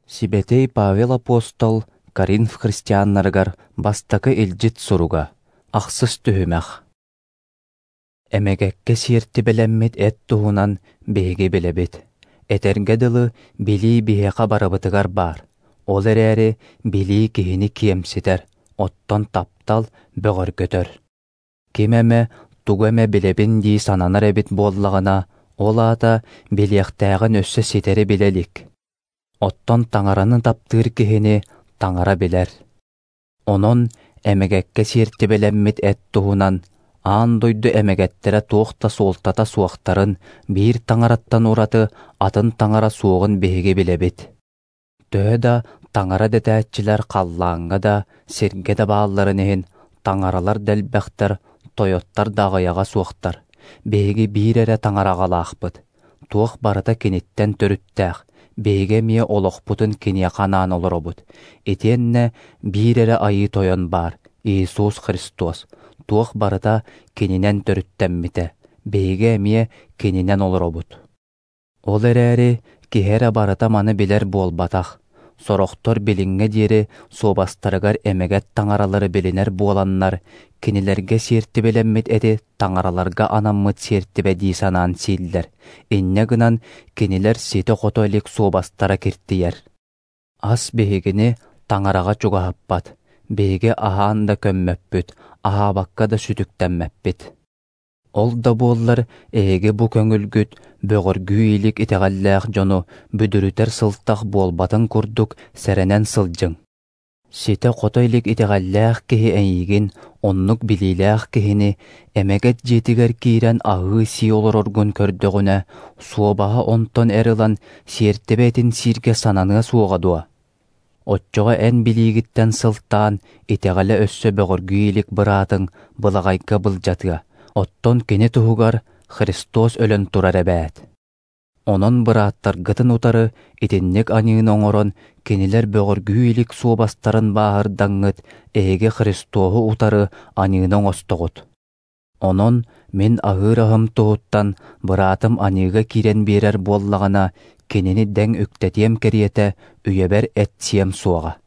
Сибэтиэй Павел апостол Коринф христианнарыгар бастакы илдьит суруга, ахсыс түһүмэх. Эмэгэккэ сиэртибэлэммит эт туһунан биһиги билэбит. Этэргэ дылы, билии биһиэхэ барыбытыгар баар. Ол эрээри билии киһини киэмситэр, оттон таптал бөҕөргөтөр. Ким эмэ тугу эмэ билэбин дии сананар эбит буоллаҕына, ол аата билиэхтээҕин өссө ситэри билэ илик. Оттон Таҥараны таптыыр киһини Таҥара билэр. Онон эмэгэккэ сиэртибэлэммит эт туһунан аан дойду эмэгэттэрэ туох да суолтата суохтарын, биир Таҥараттан ураты атын Таҥара суоҕун биһиги билэбит. Төһө да Таҥара дэтээччилэр халлааҥҥа да, сиргэ да баалларын иһин, таҥаралар да элбэхтэр, тойоттор да аҕыйаҕа суохтар. Биһиги биир эрэ Таҥараҕалаахпыт. Туох барыта киниттэн төрүттээх, биһиги эмиэ олохпутун киниэхэ анаан олоробут. Итиэннэ биир эрэ Айыы Тойон баар, Иисус Христос. Туох барыта кининэн төрүттэммитэ, биһиги эмиэ кининэн олоробут. Ол эрээри киһи эрэ барыта маны билэр буолбатах. Сорохтор билиҥҥэ диэри суобастарыгар эмэгэт таҥаралары билинэр буоланнар, кинилэргэ сиэртибэлэммит эти таҥараларга анаммыт сиэртибэ дии санаан сииллэр, инньэ гынан кинилэр ситэ-хото илик суобастара киртийэр. Ас биһигини таҥараҕа чугаһаппат, биһиги аһаан да көммөппүт, аһаабакка да сүтүктэммэппит. Ол да буоллар эһиги бу көҥүлгүт бөҕөргүү илик итэҕэллээх дьону бүдүрүтэр сылтах буолбатын курдук сэрэнэн сылдьыҥ. Ситэ-хото илик итэҕэллээх киһи эйигин, оннук билиилээх киһини, эмэгэт дьиэтигэр киирэн аһыы-сии олороргун көрдөҕүнэ, суобаһа онтон эр ылан сиэртибэ этин сииргэ сананыа суоҕа дуо? Оччоҕо эн билиигиттэн сылтаан итэҕэлэ өссө бөҕөргүү илик быраатыҥ былаҕайга былдьатыа, оттон кини туһугар Христос өлөн турар эбээт. Онон бырааттаргытын утары итинник аньыыны оҥорон, кинилэр бөҕөргүү илик суобастарын бааһырдаҥҥыт, эһиги Христоһу утары аньыыны оҥостоҕут. Онон мин аһыыр аһым туһуттан быраатым аньыыга киирэн биэрэр буоллаҕына, кинини дэҥ үктэтиэм кэриэтэ үйэбэр эт сиэм суоҕа.